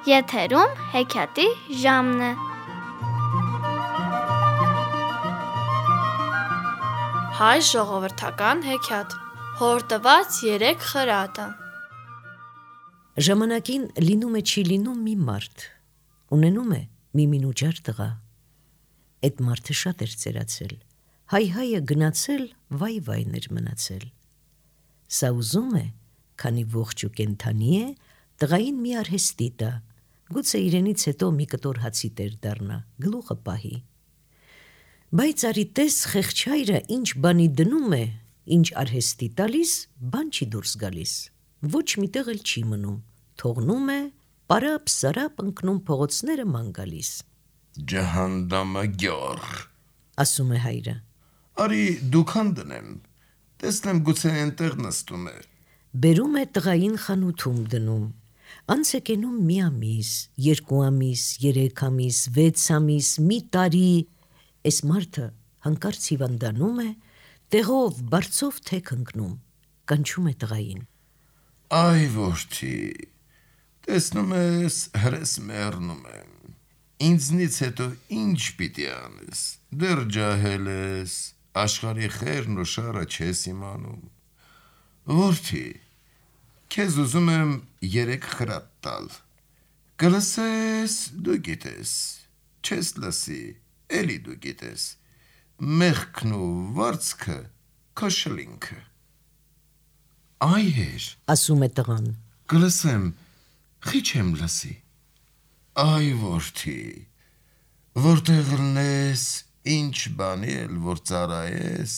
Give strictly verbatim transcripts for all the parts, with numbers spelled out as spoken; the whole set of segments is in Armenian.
Եթերում հեքիաթի ժամն է։ Հայ ժողովրդական հեքիաթ։ Հորդված երեք խրատը։ Ժամանակին լինում է չի լինում մի մարդ, ունենում է մի մինուճար տղա։ Այդ մարդը շատ էր ծերացել, հայ-հայը գնացել, վայ-վայն էր մնացել։ Սա ուզում է, քանի ողջ ու կենդանի է, տղային մի արհեստի տա, գուցե իրենից հետո մի կտոր հացի տեր դառնա, գլուխը պահի։ Բայց արի տես խեղճ-հայրը ինչ բանի դնում է, ինչ արհեստի տալիս, բան չի դուրս գալիս, ոչ միտեղ էլ չի մնում, թողնում է, պարապ-սարապ ընկնում փողոցները ման գալիս։ Ջահանդամը գյոր, ասում է հայրը։ Արի դուքան դնեմ, տեսնեմ գուցե այնտեղ նստում է։ Բերում է տղային խանութում դնում, անց է կենում մի ամիս, երկու ամիս, երեք ամիս, վեց ամիս, մի տարի, էս մարդը հանկարծ հիվանդանում է, տեղով, բարձով թեք ընկնում, կանչում է տղային։ Այ որդի, տեսնում ես հրես մեռնում եմ, ինձնից հետո ինչ պիտի անես, դեռ ջահել ես, աշխարհի խերն ու շարը չես իմանում։ Որդի, քեզ ուզում եմ երեք խրատ տալ, կլսես, դու գիտես, չես լսի, էլի դու գիտես, մեղքն ու վարձքը քո շլինքը։ Այ հեր, ասում է տղան, կլսեմ, խի չեմ լսի։ Այ որդի, որտեղ լնես, ինչ բանի էլ որ ծարայես,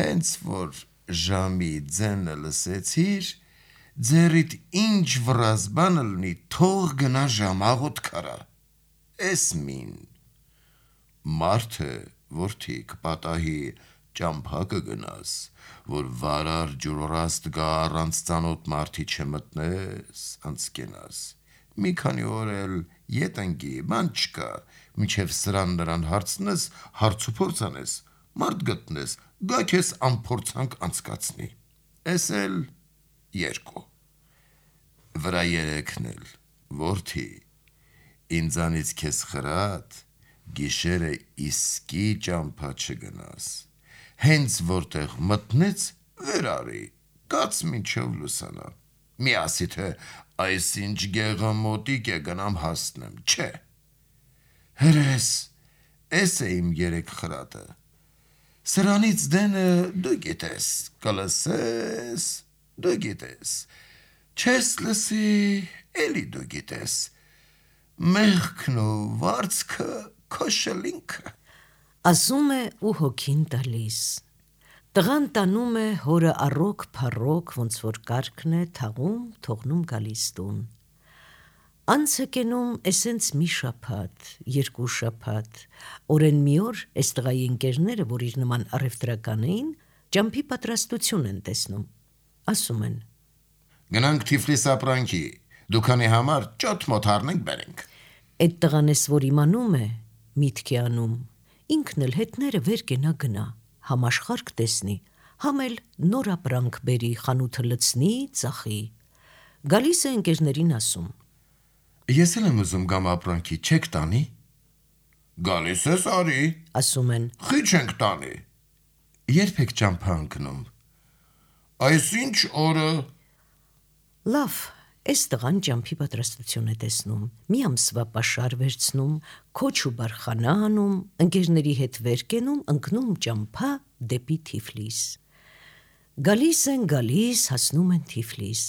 հենց որ ժամի ձենը լսեցիր, ձերիդ ինչ վրազ բանը լնի, թող գնա ժամաղոտ քարա, էս մին։ Մարդը, որդի, կպատահի ճամփա կգնաս, որ վարար ջուրորաստ գա առանց ծանոթ մարդի չմտնես, անցկենաս, մի քանի օր էլ ետ ընկի, բան չկա, մինչև սրան նրան հարցնես, հարց ու փորձ անես, մարդ գտնես, գա քեզ անփորձանք անցկացնի, էս էլ երկու, վրա երեքն էլ, որդի, ինձանից քեզ խրատ, գիշերը իսկի ճամփա չգնաս, հենց որտեղ մտնեց, վեր արի, կաց մինչև լուսանա, մի ասի թե այս ինչ գեղամոտիկ է գնամ հասնեմ, չէ, հրես, էս է իմ երեք խրատը, սրանից դենը դու գիտես, կլսես, դու գիտես, չես լսի, էլի դու գիտես, մեղքն ու վարձքը քո շլինքը։ Ասում է ու հոգին տալիս։ Տղան տանում է հորը առոք փառոք, ոնց որ կարգն է, թաղում, թողնում գալիս տուն։ Անց է կենում էսենց մի շաբաթ, երկու շաբաթ, օրեն մի օր էս տղայի ընկերները, որ իր նման առևտրական էին, ճամփի պատրաստություն են տեսնում, ասում են. Գնանք Թիֆլիս ապրանքի, դուքանի համար ճոտ մոտ առնենք բերենք։ Այդ տղան էս որ իմանում է, միտք է անում, ինքն էլ հետները վեր կենա գնա, համ աշխարհ տեսնի, համ էլ նոր ապրանք բերի, խանութը լցնի, ծախի։ Գալիս է ընկերներին ասում. Ես էլ եմ ուզում գամ ապրանքի, չեք տանի։ Գալիս ես արի, ասում են. խի չենք տանի։ Երբ եք ճամփա ընկնում։ Այսինչ օրը։ Լավ, էս տղան ճամփի պատրաստություն է տեսնում, մի ամսվա պաշար վերցնում, քոչ ու բարխանա անում, ընկերների հետ վեր կենում, ընկնում ճամփա դեպի Թիֆլիս։ Գալիս են, գալիս, հասնում են Թիֆլիս։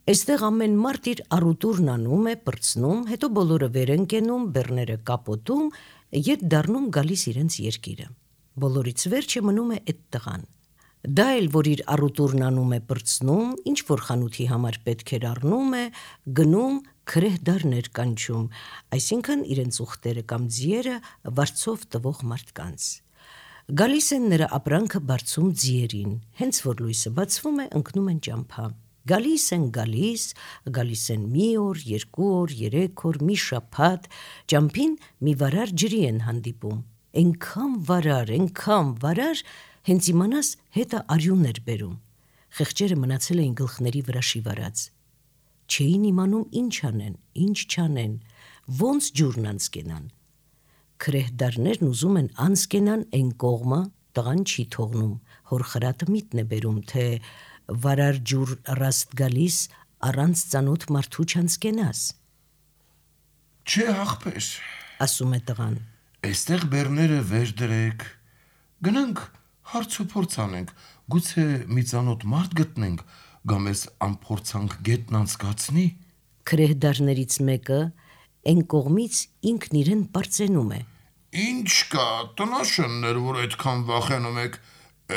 Այստեղ ամեն մարդ իր առուտուրն անում է, պրծնում, հետո բոլորը վեր են կենում, բեռները կապոտում, ետ դառնում գալիս իրենց երկիրը։ Բոլորից վերջը մնում է այդ տղան։ Դա էլ, որ իր առուտուրն անում է, պրծնում, ինչ որ խանութի համար պետք էր առնում է, գնում, քրեհ դարներ կանչում, այսինքն իրենց ուխտերը կամ ձիերը վարձով տվող մարդկանց։ Գալիս են նրա ապրանքը բարձում ձիերին, հենց որ լույսը բացվում է, ընկնում են ճամփա։ Գալիս են, գալիս, գալիս են մի օր, երկու օր, երեք օր, մի շաբաթ, ճամփին մի վարար ջրի են հանդիպում, այնքան վարար, այնքան վարար, հենց իմանաս հետը արյուն էր բերում, խեղճերը մնացել էին գլխների վրա շիվարած։ չէին իմանում ինչ անեն, ինչ չանեն, ոնց ջուրն անցկենան։ Քրեհդարներն ուզում են անցկենան այն կողմը, տղան չի թողնում, հոր խրատը միտն է բերում, թե վարար ջուր ռաստ գալիս, առանց ծանոթ մարդու չանցկենաս։ Չէ աղբեր, ասում է տղան։ Այստեղ բեռները վեր դրեք, գնանք հարց ու փորձ անենք, գուցե մի ծանոթ մարդ գտնենք, գամ էս անփորձանք գետն անցկացնի։ Քրեհդարներից մեկը այն կողմից ինքն իրեն պարծենում է։ Ինչ կա, տնաշններ, որ այդքան վախենում եք,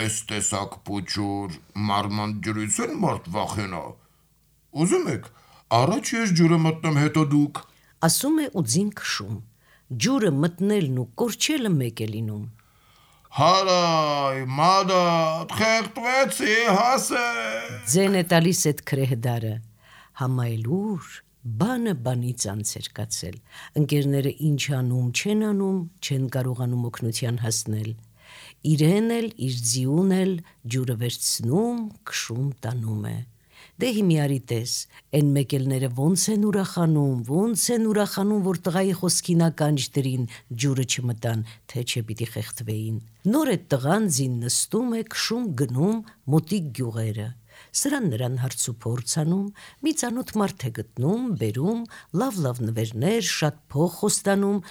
այս տեսակ պուչուր, մարման ջրից են մարդ վախենա։ Ուզում եք, առաջ ես ջուրը մտնեմ, հետո դուք։ Ասում է ու ձին քշում։ Ջուրը մտնելն ու կորչելը մեկ է լինում։ Հարայ, մադատ, խեղտվեցի, հասե։ Ձեն է տալիս այդ քրեհդարը։ Համայլուր, բանը բանից անց էր կացել։ Ընկերները ինչ անում, չեն անում, չեն կարողանում օգնության հասնել։ Իրեն էլ, իր ձիուն էլ ջուրը վերցնում, քշում տանում է։ Դե հիմիարի տես, են մեկելները ոնց են ուրախանում, ոնց են ուրախանում, որ տղայի խոսքին ականջ դրին, ջուրը չմտան, թե չէ պիտի խեղդվեին։ Նոր այդ տղան ձին նստում է, քշում գնում մոտիկ գյուղերը։ Սրան նրան հարց ու փորձ անում, մի ծանոթ մարդ է գտնում, բերում, լավ-լավ նվերներ, շատ փող խոստանում,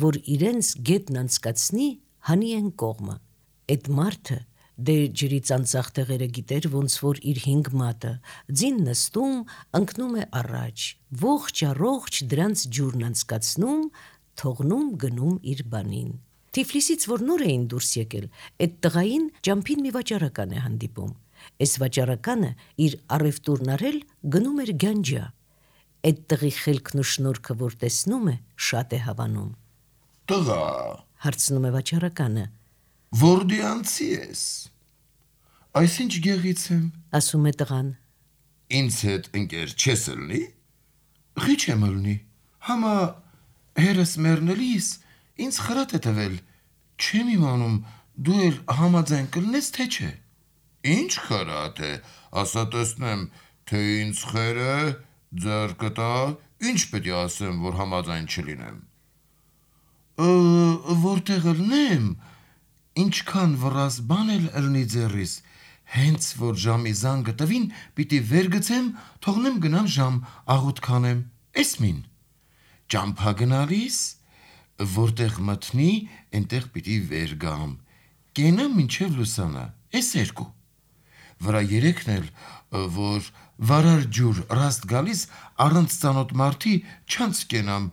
որ իրենց գետն անցկացնի հանի են կողմը։ Այդ մարդը դե ջրից անցախ տեղերը գիտեր, ոնց որ իր հինգ մատը, ձին նստում, ընկնում է առաջ, ողջ առողջ դրանց ջուրն անցկացնում, թողնում գնում իր բանին։ Թիֆլիսից որ նոր էին դուրս եկել, այդ տղային ճամփին մի վաճառական է հանդիպում։ Այս վաճառականը իր առևտուրն արել գնում էր գանջա։ Այդ տղի խելքն ու շնորհքը որ տեսնում է, շատ է հավանում։ Տղա, Հարցնում է վաճառականը։ Որդյանցի ես։ Այսինչ գեղից եմ։ Ասում է տղան։ Ինձ հետ ընկեր չես ելնի։ Խի չեմ ելնի։ Համա հերս մեռնելիս ինձ խրատ է տվել։ Չեմ իմանում դու էլ համաձայն կլնես թե չէ։ Ինչ խրատ է, ասա տեսնեմ, թե ինձ խերը ձեռքը տա, ինչ պետք է ասեմ, որ համաձայն չլինեմ։ Որտեղ ելնեմ, ինչքան վռազ բան էլ ելնի ձեռիս, հենց որ ժամի զանգը տվին, պիտի վեր գցեմ, թողնեմ գնամ ժամ, աղոտ քանեմ, էս մին։ Ճամփա գնալիս, որտեղ մտնի, այնտեղ պիտի վեր գամ, կենամ մինչև լուսանա, էս երկու։ Վրա երեքն էլ, որ վարար ջուր ռաստ գալիս, առանց ծանոթ մարդի չանց կենամ,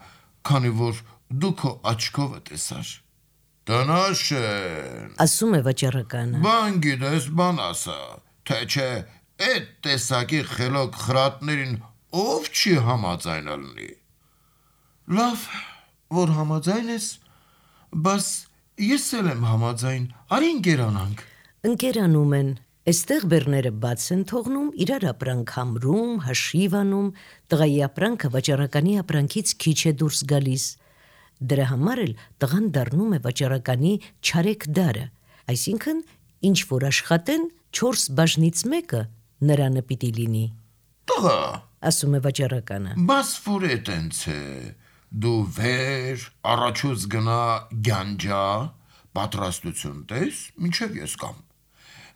քանի որ դու քո աչքով տեսար։ Տնաշեն, Ասում է վաճառականը։ բան գիտես, բան ասա, թե չէ, այդ տեսակի խելոք խրատներին ով չի համաձայն ալնի։ Լավ, որ համաձայն ես, բաս ես էլ եմ համաձայն, արի ընկերանանք։ Ընկերանում են, այստեղ բեռները բաց են թողնում, իրար ապրանք համրում, հաշիվ անում, տղայի ապրանքը վաճառականի ապրանքից քիչ է դուրս գալիս։ Դրա համար էլ տղան դառնում է վաճառականի չարեքդարը, այսինքն ինչ որ աշխատեն, չորս բաժնից մեկը նրանը պիտի լինի։ Տղա, Ասում է վաճառականը։ բաս որ է տենց է, դու վեր, առաջուց գնա գանջա, պատրաստություն տես, մինչև ես կամ։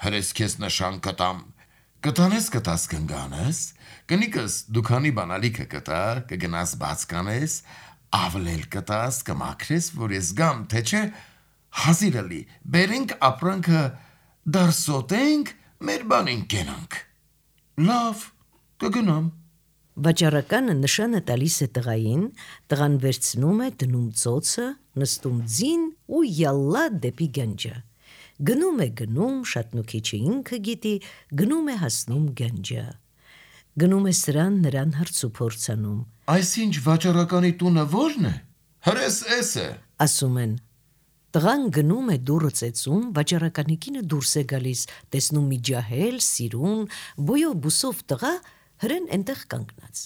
Հրես քեզ նշան կտամ, կտանես կտաս կնգանես, կնիկս դուքանի բանալիքը կտա, կգնաս բաց կանես, ավլել կտաս, կմաքրես, որ ես գամ, թե չէ, հազիրալի, բերենք ապրանքը դարսոտենք, մեր բանին կենանք։ Լավ, կգնամ։ Վաճառականը նշանը տալիս է տղային, տղան վերցնում է, դնում ծոցը, նստում ձին ու յալլա դեպի գանջա։ Գնում է գնում, շատնուքիչը ինքը գիտի, գնում է հասնում գանջա։ Գնում է սրան նրան հարց ու փորձ անում։ Այսինչ վաճառականի տունը ո՞րն է։ Հրես էս է։ Ասում են։ Տղան գնում է դուռը ծեծում, վաճառականի կինը դուրս է գալիս, տեսնում մի ջահել, սիրուն, բոյով բուսով տղա, հրեն այնտեղ կանգնած։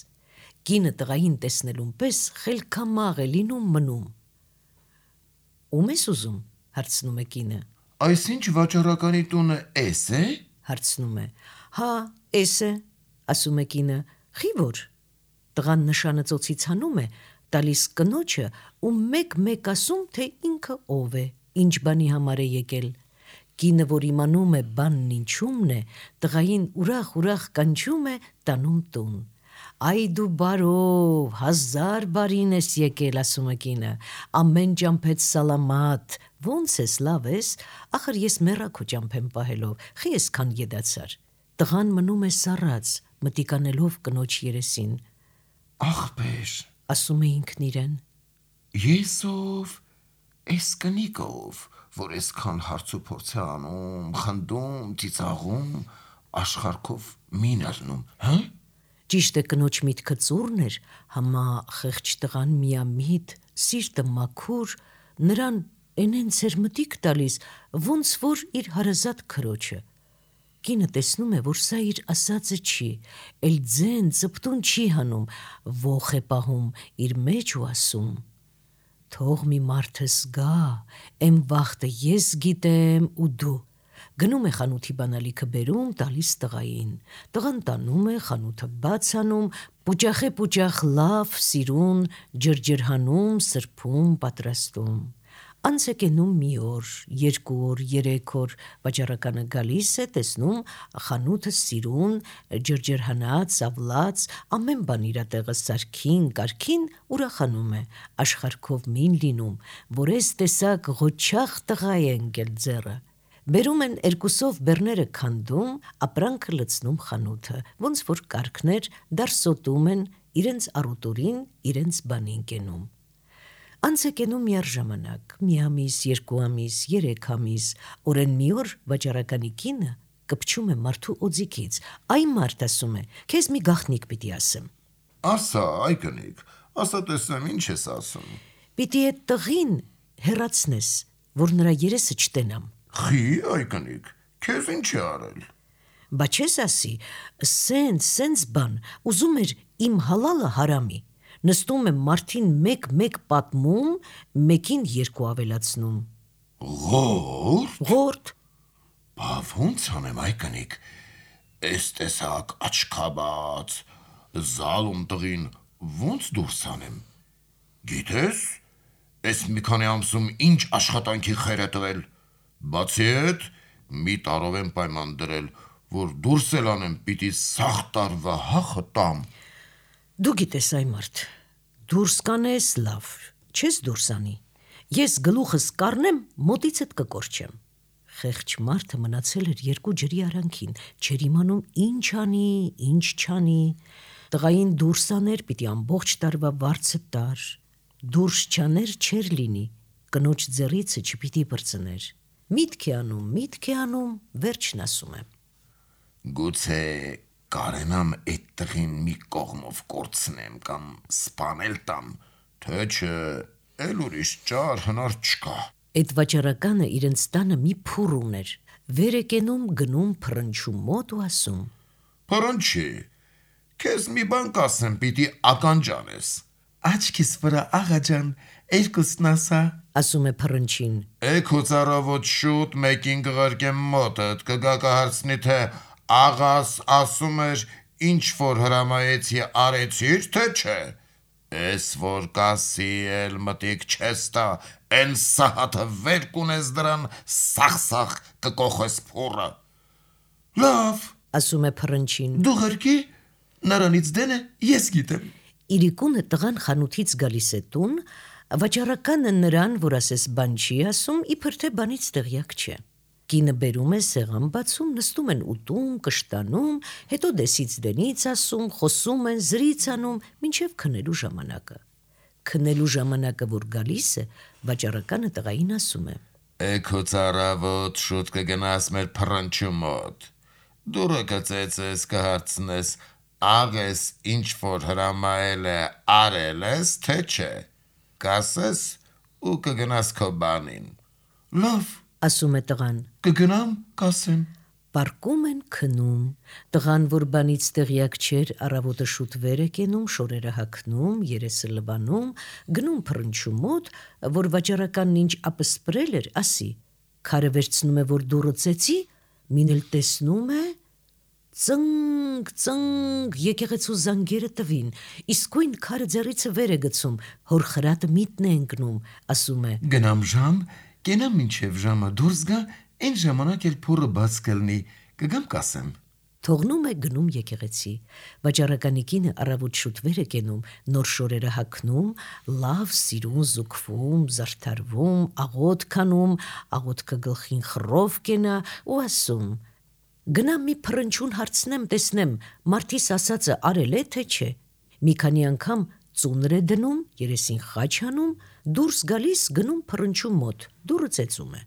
Կինը տղային տեսնելուն պես խելքամաղ է լինում մնում։ Ում ես ուզում, հարցնում է կինը։ Այսինչ վաճառականի տունը էս է։ Հարցնում է։ Հա, էս է, ասում է կինը։ Խի որ։ Տղան նշանը ծոցից հանում է, տալիս կնոջը ու մեկ-մեկ ասում, թե ինքը ով է, ինչ բանի համար է եկել։ Կինը, որ իմանում է բանն ինչումն է, տղային ուրախ-ուրախ կանչում է, տանում տուն։ Այ դու բարով, հազար բարին ես եկել, ասում է կինը, ամեն ճամփեդ սալամատ, ոնց ես, լավ ես, ախր ես մեռա քո ճամփեն պահելով, խի եսքան եդացար։ Տղան մնում է սառած, մտիկանելով կնոջ երեսին։ Ախպեր, Ասում է ինքն իրեն. ես ով, ես կնիկով, որ այսքան հարց ու փորձ է անում, խնդում, ծիծաղում, աշխարհքով մին ալնում, հա՞։ Ճիշտ է, կնոջ միտքը ծուռն էր, համա խեղճ տղան միամիտ, սիրտը մաքուր, նրան էնենց էր մտիկ տալիս, ոնց որ իր հարազատ քրոջը։ Կինը տեսնում է, որ սա իր ասածը չի, էլ ձեն ծպտուն չի հանում, ոխ է պահում իր մեջ ու ասում. թող մի մարդս գա, էն վախտը ես գիտեմ ու դու։ Գնում է խանութի բանալիքը բերում, տալիս տղային։ Տղան տանում է, խանութը բաց անում, պուճախե-պուճախ լավ, սիրուն, ջրջրհանում, սրբում, պատրաստում։ Անց է կենում մի օր, երկու օր, երեք օր, վաճառականը գալիս է, տեսնում խանութը սիրուն, ջրջրհանած, ավլած, ամեն բան իրա տեղը սարքին, կարգին, ուրախանում է, աշխարհքով մին լինում, որ ես տեսակ ղոչախ տղա է ընկել ձեռը։ Բերում են երկուսով բեռները քանդում, ապրանքը լցնում խանութը, ոնց որ կարգներ, դարսոտում են, իրենց առուտուրին, իրենց բանին կենում։ Անց է կենում միառժամանակ, մի ամիս, երկու ամիս, երեք ամիս, օրեն մի օր վաճառականի կինը կպչում է մարդու օձիքից, այ մարդ ասում է, քեզ մի գաղտնիք պիտի ասեմ։ Ասա, այ կնիկ, ասա տեսնեմ ինչ ես ասում։ Պիտի այդ տղին հեռացնես, որ նրա երեսը չտենամ։ Խի, այ կնիկ, քեզ ինչ է արել։ Բա չես ասի, սենց, սենց բան, ուզում էր իմ հալալը հարամի, նստում է մարդին մեկ-մեկ պատմում, մեկին երկու ավելացնում։ Ղորդ։ Ղորդ։ Բա ոնց անեմ, այ կնիկ, այս տեսակ աչքաբաց, զալում տղին ոնց դուրս անեմ։ Գիտես, այս մի քանի ամսում ինչ աշխատանքի խեր է տվել։ Բացի այդ, մի տարով եմ պայման դրել, որ դուրս էլ անեմ, պիտի սաղ տարվա հախը տամ։ Դու գիտես այ մարդ, դուրս կանես լավ, չես դուրս անի, ես գլուխս կառնեմ, մոտիցդ կկորչեմ։ Խեղճ մարդը մնացել էր երկու ջրի արանքին, չէր իմանում ինչ անի, ինչ չանի, տղային դուրս աներ, պիտի ամբողջ տարվա վարձը տար, դուրս չաներ չէր լինի, կնոջ ձեռիցը չպիտի բրծներ։ Միտք է անում, միտք է անում, վերջն ասում է. Գուցե կարենամ այդ տղին մի կողմով կորցնեմ կամ սպանել տամ, թե չէ, էլ ուրիշ ճար հնար չկա։ Այդ վաճառականը իրենց տանը մի փուռ ուներ, վեր է կենում, գնում փռնչում մոտ ու ասում. Փռնչի, քեզ մի բան կասեմ, պիտի ականջանես։ Աչքիս վրա աղաջան, երկուսն ասա։ Ասում է փռնչին. Էք ու ծառավոտ շուտ մեկին կղարկեմ մոտդ, կգա կհարցնի, թե աղաս ասում էր, ինչ որ հրամայեցի արեցիր, թե չէ։ Էս որ կասի էլ մտիկ չես տա, են սահաթը վեր կունես դրան, սախ-սախ կկոխես փուռը։ Լավ, ասում է փռնչին. դու ղրկի, նրանից դենը ես գիտեմ։ Իրիկունը տղան խանութից գալիս է տուն, վաճառականը նրան, որ ասես բան չի ասում, իբր թե բանից տեղյակ չէ։ Կինը բերում է սեղան բացում, նստում են ուտում, կշտանում, հետո դեսից դենից ասում, խոսում են, զրից անում, մինչև քնելու ժամանակը։ Քնելու ժամանակը, որ գալիս է, վաճառականը տղային ասում է. Էք ու ծառավոտ շուտ կգնաս մեր փռնչու մոտ։ Դուրը կծեծես, կհարցնես, աղես ինչ որ հրամայել է արել ես, թե չէ։ Կասես ու կգնաս քո բանին։ Լավ, ասում է տղան։ կգնամ, կասեմ։ Պարկում են քնում, տղան, որ բանից տեղյակ չէր, առավոտը շուտ վեր է կենում, շորերը հագնում, երեսը լվանում, գնում փռնչու մոտ, որ վաճառականն ինչ ապսպրել էր, ասի, քարը վերցնում է, որ դուռը ծեծի, մին էլ տեսնում է, ծնգ, ծնգ, եկեղեցու զանգերը տվին, իսկույն քարը ձեռիցը վեր է գցում, հոր խրատը միտն է ընկնում, ասում է. Գնամ ժամ, կենամ մինչև ժամը դուրս գա, այն ժամանակ էլ փորը բաց կլնի, կգամ կասեմ։ Թողնում է գնում եկեղեցի, վաճառականի կինը առավոտ շուտ վեր է կենում, նոր շորերը հագնում, լավ սիրուն զուգվում, զարդարվում, աղոտ քանում, աղոտքը գլխին խռով կենա ու ասում. Գնամ մի փռնչուն հարցնեմ, տեսնեմ, մարդիս ասածը արել է թե չէ։ Մի քանի անգամ ծունր է դնում, երեսին խաչ անում, դուրս գալիս գնում փռնչու մոտ, դուռը ծեծում է։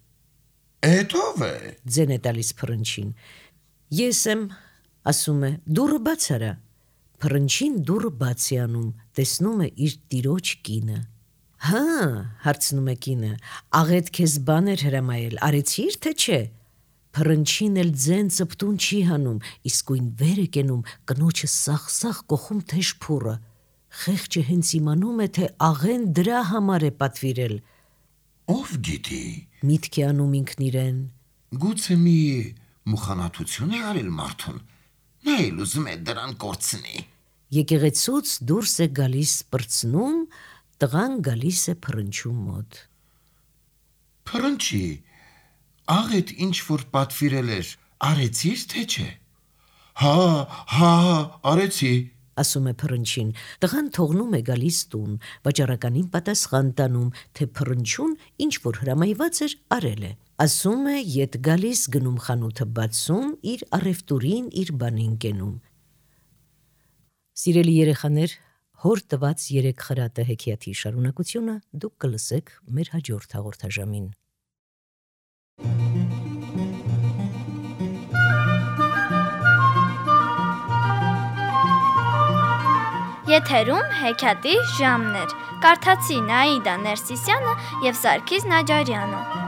Էդ ով է։ Ձեն է տալիս փռնչին։ Ես եմ, ասում է, դուռը բաց արա։ Փռնչին դուռը բաց է անում, տեսնում է իր տիրոջ կինը։ Հա, հարցնում է կինը, աղետ քեզ բան էր հրամայել, արեցի՞ր թե չէ։ Փռնչին էլ ձեն ծպտուն չի հանում, իսկույն վեր է կենում, կնոջը սաղ-սաղ կոխում թեժ փուռը։ Խեղճը հենց իմանում է, թե աղեն դրա համար է պատվիրել։ Ով գիտի։ Միտք է անում ինքն իրեն։ Գուցե մի մուխանաթություն է արել մարդուն։ Նա էլ ուզում է դրան կորցնի։ Եկեղեցուց դուրս է գալիս պրծնում, տղան գալիս է փռնչու մոտ։ Փռնչի, աղետ ինչ որ պատվիրել էր, արեցի՞ր թե չէ։ Հա, հա, արեցի, ասում է փռնչին։ Տղան թողնում է գալիս տուն, վաճառականին պատասխան տանում, թե փռնչուն ինչ որ հրամայված էր, արել է։ Ասում է, ետ գալիս գնում խանութը բացում, իր առևտուրին, իր բանին կենում։ Սիրելի երեխաներ, հոր տված երեք խրատը հեքիաթի շարունակությունը դուք կլսեք մեր հաջորդ հաղորդաժամին։ Եթերում հեքիաթի ժամն էր։ Կարդացին Աիդա Ներսիսյանը և Սարգիս Նաջարյանը։